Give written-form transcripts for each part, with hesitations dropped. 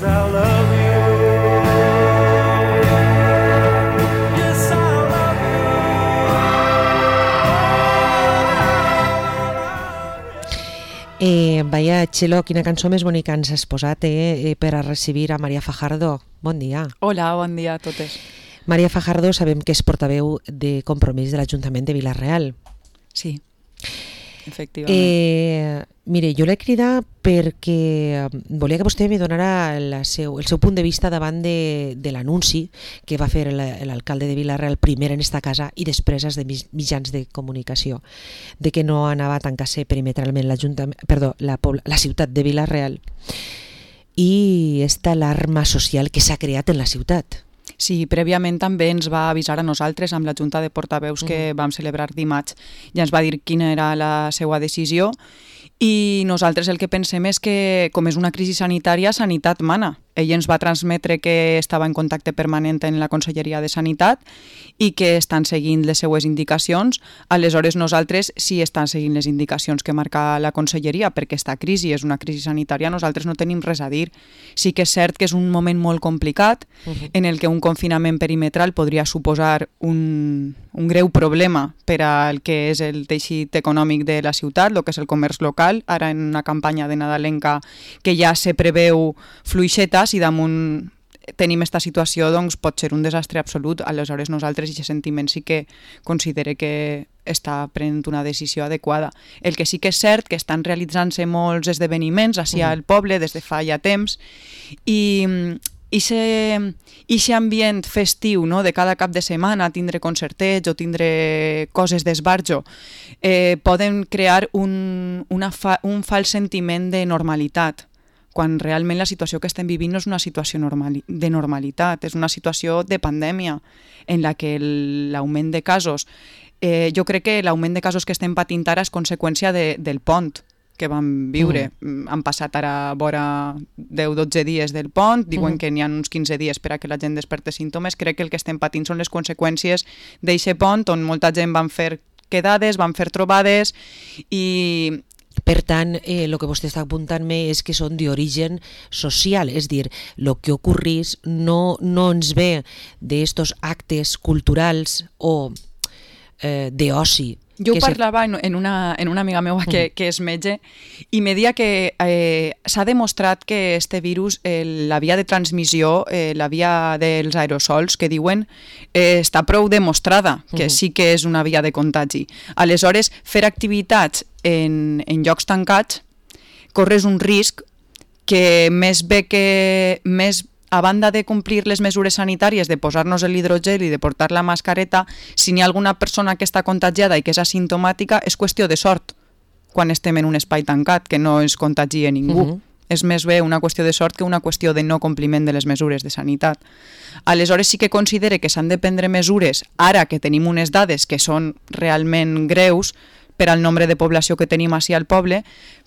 'cause I love you. Yes, I love you. Vaya, Txelo, quina cançó més bonica ens has posat per a recibir a Maria Fajardo. Bon dia. Hola, bon dia a totes. Maria Fajardo sabem que és portaveu de Compromís de l'Ajuntament de Vila-real. Sí, efectivament. Mire, jo l'he cridat perquè volia que vostè me donara el seu punt de vista davant de l'anunci que va fer l'alcalde de Vila-real primer en esta casa i després als de mitjans de comunicació, de que no anava a tancar-se perimetralment la ciutat de Vila-real i esta alarma social que s'ha creat en la ciutat. Sí, prèviament també ens va avisar a nosaltres amb la Junta de Portaveus que vam celebrar dimarts. Ja ens va dir quina era la seva decisió i nosaltres el que pensem és que, com és una crisi sanitària, sanitat mana. Ell ens va transmetre que estava en contacte permanent en la Conselleria de Sanitat i que estan seguint les seues indicacions. Aleshores, nosaltres sí estan seguint les indicacions que marca la Conselleria, perquè esta crisi és una crisi sanitària, nosaltres no tenim res a dir. Sí que és cert que és un moment molt complicat en el que un confinament perimetral podria suposar un greu problema per al que és el teixit econòmic de la ciutat, el que és el comerç local, ara en una campanya de nadalenca que ja se preveu fluixeta, i damunt tenim esta situació, doncs pot ser un desastre absolut. Aleshores nosaltres aquest sentiment sí que considere que està prenent una decisió adequada. El que sí que és cert que estan realitzant-se molts esdeveniments així al poble des de fa ja temps i aquest ambient festiu, no, de cada cap de setmana tindre concertets o tindre coses d'esbarjo poden crear un fals sentiment de normalitat, quan realment la situació que estem vivint no és una situació de normalitat, és una situació de pandèmia en la que l'augment de casos, jo crec que l'augment de casos que estem patint ara és conseqüència del pont que vam viure. Han passat ara vora 10-12 dies del pont, diuen que n'hi ha uns 15 dies per a que la gent desperti símptomes. Crec que el que estem patint són les conseqüències d'aquest pont on molta gent van fer quedades, van fer trobades i... Per tant, el que vostè està apuntant-me és que són d'origen social, és dir, el que ocorrís no ens ve d'estos actes culturals o d'oci. Jo parlava en una amiga meva que és metge i me deia que s'ha demostrat que este virus, la via de transmissió, la via dels aerosols que diuen, està prou demostrada que sí que és una via de contagi. Aleshores, fer activitats en llocs tancats corres un risc que més a banda de complir les mesures sanitàries, de posar-nos l'hidrogel i de portar la mascareta, si n'hi ha alguna persona que està contagiada i que és asimptomàtica, és qüestió de sort quan estem en un espai tancat, que no es contagia ningú. És més bé una qüestió de sort que una qüestió de no compliment de les mesures de sanitat. Aleshores sí que considere que s'han de prendre mesures, ara que tenim unes dades que són realment greus per al nombre de població que tenim així al poble,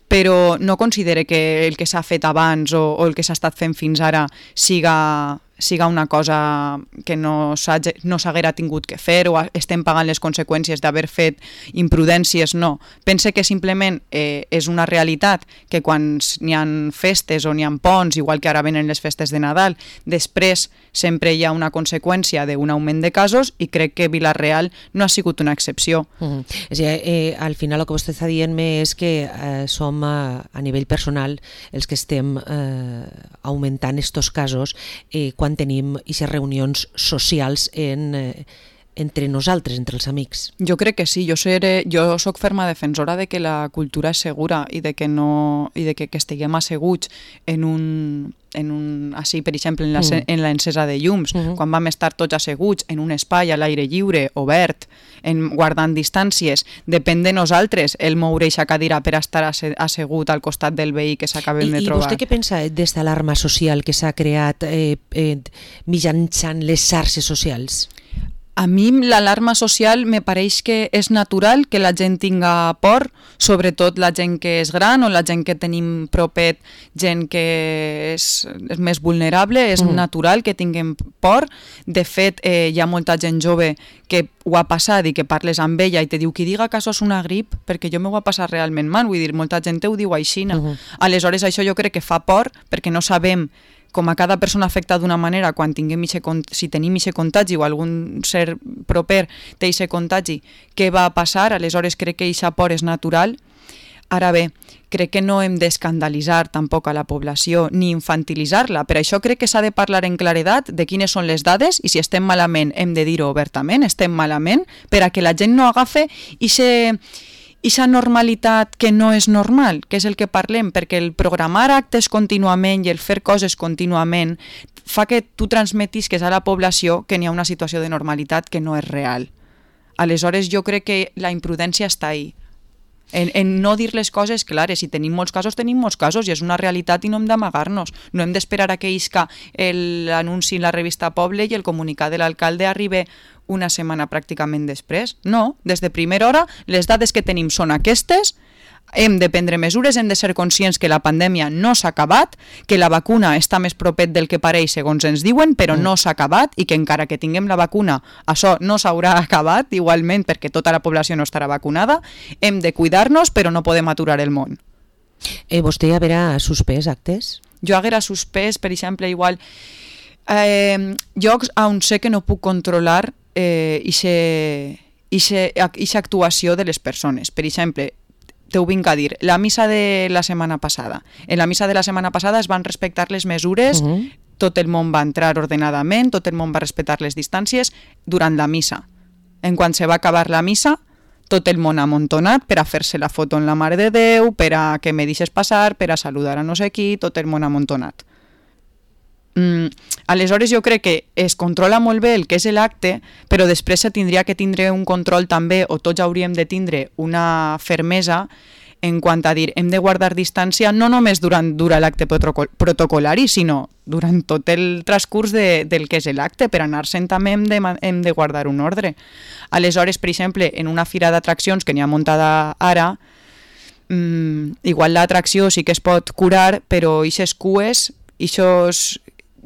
però no considere que el que s'ha fet abans o el que s'ha estat fent fins ara siga una cosa que no s'haguera tingut que fer o estem pagant les conseqüències d'haver fet imprudències, no. Pense que simplement és una realitat que quan n'hi ha festes o n'hi ha ponts, igual que ara venen les festes de Nadal, després sempre hi ha una conseqüència d'un augment de casos i crec que Vila-real no ha sigut una excepció. És a dir, al final el que vostè està dient-me és que som a nivell personal els que estem augmentant estos casos quan tenim aquestes reunions socials entre nosaltres, entre els amics. Jo crec que sí, jo soc ferma defensora de que la cultura és segura i de que estiguem asseguts així, per exemple, en l'encesa de llums, quan vam estar tots asseguts en un espai a l'aire lliure, obert, guardant distàncies, depèn de nosaltres el moure aquesta cadira per estar assegut al costat del veí que s'acabem de trobar. I vostè què pensa d'esta alarma social que s'ha creat mitjançant les xarxes socials? A mi l'alarma social me pareix que és natural que la gent tinga por, sobretot la gent que és gran o la gent que tenim propet, gent que és més vulnerable, és natural que tinguem por. De fet, hi ha molta gent jove que ho ha passat i que parles amb ella i te diu qui diga que això és una grip, perquè jo m'ho ha passat realment mal, vull dir, molta gent ho diu així. Aleshores, això jo crec que fa por perquè no sabem com a cada persona afecta d'una manera, quan si tenim aquest contagi o algun ser proper té aquest contagi, què va passar? Aleshores crec que aquesta por és natural. Ara bé, crec que no hem d'escandalitzar tampoc a la població ni infantilitzar-la. Per això crec que s'ha de parlar en claredat de quines són les dades i si estem malament hem de dir-ho obertament, estem malament, per a que la gent no agafe ixa normalitat que no és normal, que és el que parlem, perquè el programar actes contínuament i el fer coses contínuament fa que tu transmetisques a la població que n'hi ha una situació de normalitat que no és real. Aleshores jo crec que la imprudència està ahí. En no dir les coses clares. Si tenim molts casos i és una realitat i no hem d'amagar-nos. No hem d'esperar a que isca l'anunci en la revista Poble i el comunicat de l'alcalde arribi una setmana pràcticament després. No, des de primera hora les dades que tenim són aquestes, hem de prendre mesures, hem de ser conscients que la pandèmia no s'ha acabat, que la vacuna està més propet del que pareix segons ens diuen, però no s'ha acabat i que encara que tinguem la vacuna, això no s'haurà acabat igualment perquè tota la població no estarà vacunada. Hem de cuidar-nos, però no podem aturar el món. Vostè haurà suspès actes? Jo haguera suspès, per exemple, igual llocs on sé que no puc controlar ixa actuació de les persones. Per exemple, t'ho vinc a dir, la missa de la setmana passada. En la missa de la setmana passada es van respectar les mesures, tot el món va entrar ordenadament, tot el món va respectar les distàncies durant la missa. En quan se va acabar la missa, tot el món amuntonat per a fer-se la foto en la Mare de Déu, per a que me deixes passar, per a saludar a no sé qui, tot el món amuntonat. Aleshores jo crec que es controla molt bé el que és l'acte, però després se tindria que tindre un control també, o tots hauríem de tindre una fermesa en quant a dir hem de guardar distància no només durant l'acte protocolari, sinó durant tot el transcurs del que és l'acte. Per anar-se'n també hem de guardar un ordre. Aleshores, per exemple, en una fira d'atraccions que n'hi ha muntada ara, igual l'atracció sí que es pot curar, però ixes cues, ixos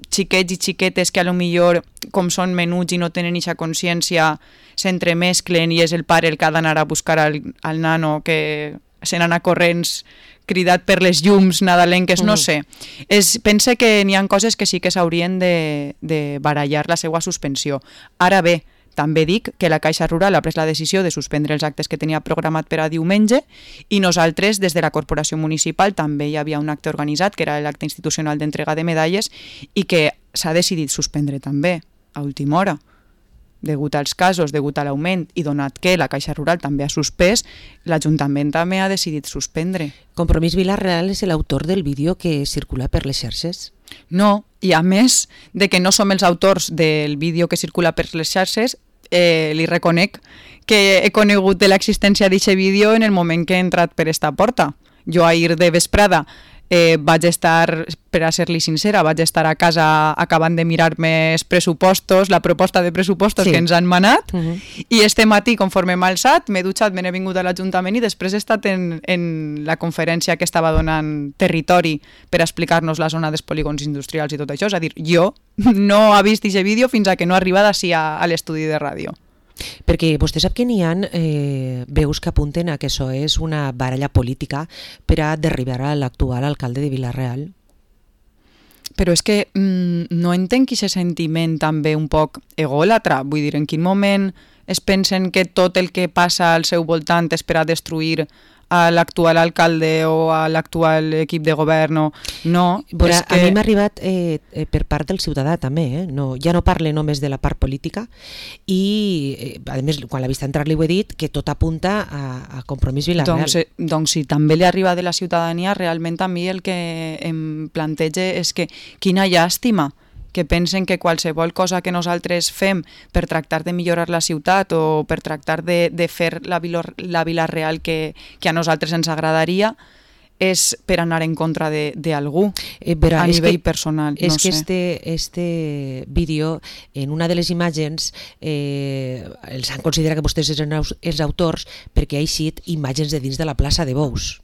xiquets i xiquetes que a lo millor, com són menuts i no tenen eixa consciència, s'entremesclen i és el pare el que ha d'anar a buscar al nano que se n'anà corrents cridat per les llums nadalenques, no sé. Pense que n'hi ha coses que sí que s'haurien de barallar la seva suspensió. Ara bé, també dic que la Caixa Rural ha pres la decisió de suspendre els actes que tenia programat per a diumenge i nosaltres, des de la Corporació Municipal, també hi havia un acte organitzat, que era l'acte institucional d'entrega de medalles, i que s'ha decidit suspendre també, a última hora. Degut als casos, degut a l'augment, i donat que la Caixa Rural també ha suspès, l'Ajuntament també ha decidit suspendre. Compromís Vila-real és l'autor del vídeo que circula per les xarxes? No, i a més de que no som els autors del vídeo que circula per les xarxes, li reconec que he conegut de l'existència d'aquest vídeo en el moment que he entrat per esta porta. Jo ahir de vesprada vaig estar, per a ser-li sincera, vaig estar a casa acabant de mirar-me els pressupostos, la proposta de pressupostos que ens han manat, i este matí, conforme m'he alçat, m'he dutxat, me n'he vingut a l'Ajuntament i després he estat en la conferència que estava donant Territori per explicar-nos la zona dels polígons industrials i tot això. És a dir, jo no he vist aquest vídeo fins a que no he arribat així a l'estudi de ràdio. Perquè vostè sap que n'hi ha veus que apunten a que això és una baralla política per a derribar a l'actual alcalde de Vila-real. Però és que no entenc aquest sentiment també un poc egòlatra. Vull dir, en quin moment es pensen que tot el que passa al seu voltant és per a destruir a l'actual alcalde o a l'actual equip de govern? No. Bueno, a mi m'ha arribat per part del ciutadà també, no, ja no parle només de la part política i a més quan l'he vist entrar li ho he dit que tot apunta a Compromís Vila-real. Doncs si també li arriba de la ciutadania, realment a mi el que em planteja és que quina llàstima que pensen que qualsevol cosa que nosaltres fem per tractar de millorar la ciutat o per tractar de fer la Vila-real que a nosaltres ens agradaria és per anar en contra d'algú a nivell personal. És que este vídeo, en una de les imatges, els han considerat que vostès eren els autors perquè ha eixit imatges de dins de la plaça de Bous.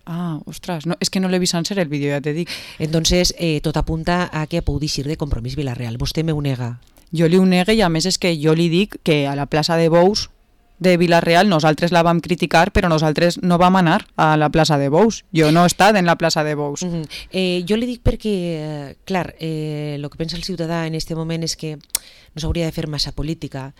Ah, ostres, no, és que no l'he vist sencer el vídeo, ja te dic. Entonces, tot apunta a que pugui dir de Compromís Vila-real. Vostè m'ho nega? Jo li ho nega i a més és que jo li dic que a la plaça de Bous de Vila-real, nosaltres la vam criticar, però nosaltres no vam anar a la plaça de Bous. Jo no he estat en la plaça de Bous. Jo li dic perquè, clar, el que pensa el ciutadà en este moment és que no s'hauria de fer massa política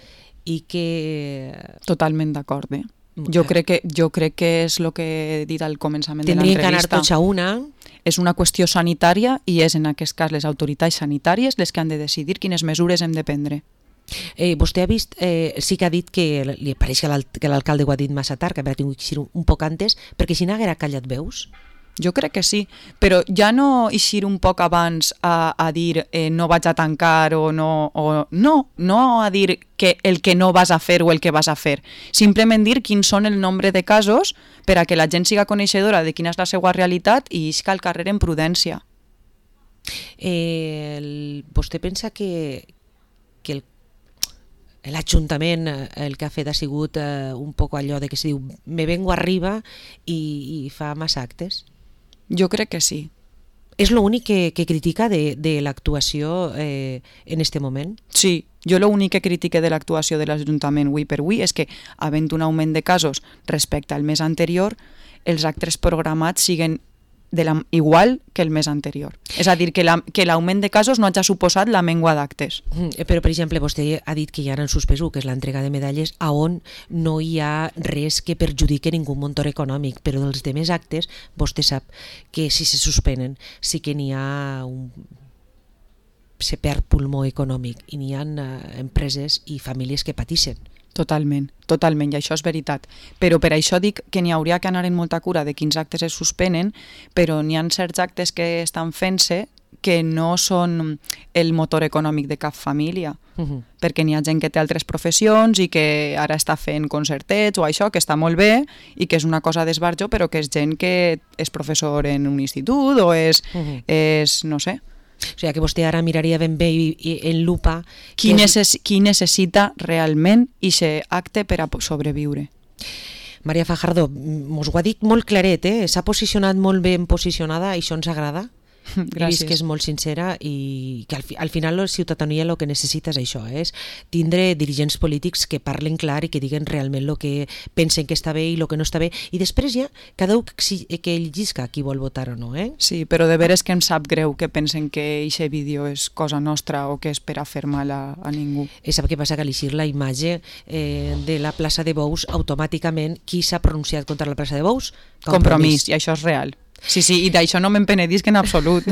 i que... Totalment d'acord, Jo crec que és el que he dit al començament de tindrien que anar l'entrevista. tots a una. És una qüestió sanitària i és en aquest cas les autoritats sanitàries les que han de decidir quines mesures hem de prendre. Vostè ha vist, sí que ha dit que li pareix que l'alcalde ho ha dit massa tard, que havia tingut que ser un poc antes, perquè si n'haguera callat veus. Jo crec que sí, però ja no eixir un poc abans a dir no vaig a tancar o no a dir que el que no vas a fer o el que vas a fer. Simplement dir quins són el nombre de casos per a que la gent siga coneixedora de quina és la seva realitat i isca al carrer en prudència. Vostè pensa que l'Ajuntament el que ha fet ha sigut un poc allò de que se diu me vengo arriba i fa massa actes? Jo crec que sí. És l'únic que critica de l'actuació en este moment? Sí, jo l'únic que critique de l'actuació de l'Ajuntament avui per avui és que, havent un augment de casos respecte al mes anterior, els actes programats siguen igual que el mes anterior. És a dir, que l'augment de casos no hagi suposat la mengua d'actes. Però, per exemple, vostè ha dit que ja han suspès que és l'entrega de medalles a on no hi ha res que perjudique ningú motor econòmic, però dels demés actes vostè sap que si se suspenen sí que n'hi ha se perd pulmó econòmic i n'hi ha empreses i famílies que patixen. Totalment, i això és veritat. Però per això dic que n'hi hauria que anar en molta cura de quins actes es suspenen, però n'hi ha certs actes que estan fent-se que no són el motor econòmic de cap família, perquè n'hi ha gent que té altres professions i que ara està fent concertets o això, que està molt bé i que és una cosa d'esbarjo, però que és gent que és professor en un institut o és no sé... O sigui que vostè ara miraria ben bé en lupa qui necessita realment aquest acte per a sobreviure. Maria Fajardo, mos ho ha dit molt claret, s'ha posicionat molt ben posicionada i això ens agrada. Gràcies. He vist que és molt sincera i que al final la ciutadania el que necessita és això, és tindre dirigents polítics que parlen clar i que diguen realment el que pensen que està bé i el que no està bé, i després ja cada un que ell llisca qui vol votar o no. Sí, però de veres que em sap greu que pensen que aquest vídeo és cosa nostra o que és per a fer mal a ningú. I sap què passa? Que a l'eixir la imatge de la plaça de Bous, automàticament qui s'ha pronunciat contra la plaça de Bous? Compromís, i això és real. Sí, i d'això no me'n penedisc en absolut.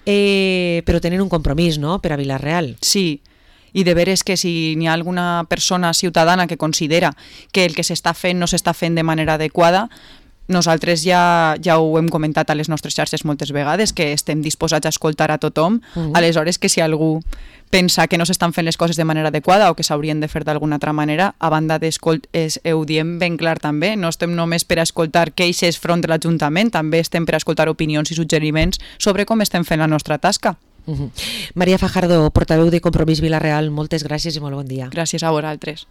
Però tenen un compromís, no?, per a Vila-real. Sí, i de veres que si n'hi ha alguna persona ciutadana que considera que el que s'està fent no s'està fent de manera adequada, nosaltres ja ho hem comentat a les nostres xarxes moltes vegades, que estem disposats a escoltar a tothom. Aleshores, que si algú pensa que no s'estan fent les coses de manera adequada o que s'haurien de fer d'alguna altra manera, a banda ho diem ben clar també, no estem només per a escoltar queixes front de l'Ajuntament, també estem per a escoltar opinions i suggeriments sobre com estem fent la nostra tasca. Maria Fajardo, portaveu de Compromís Vila-real, moltes gràcies i molt bon dia. Gràcies a vosaltres.